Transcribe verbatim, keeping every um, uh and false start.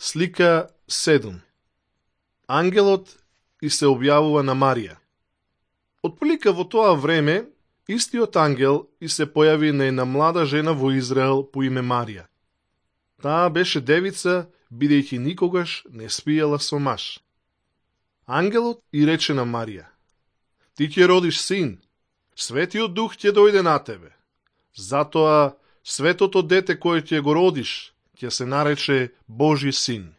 Слика седум. Ангелот и се објавува на Марија. Отприлика во тоа време, истиот ангел и се појави на една млада жена во Израел по име Марија. Таа беше девица, бидејќи никогаш не спиела со маж. Ангелот и рече на Марија: Ти ќе родиш син, Светиот Дух ќе дојде на тебе. Затоа светото дете кое ќе го родиш ќе се нарече Божи син.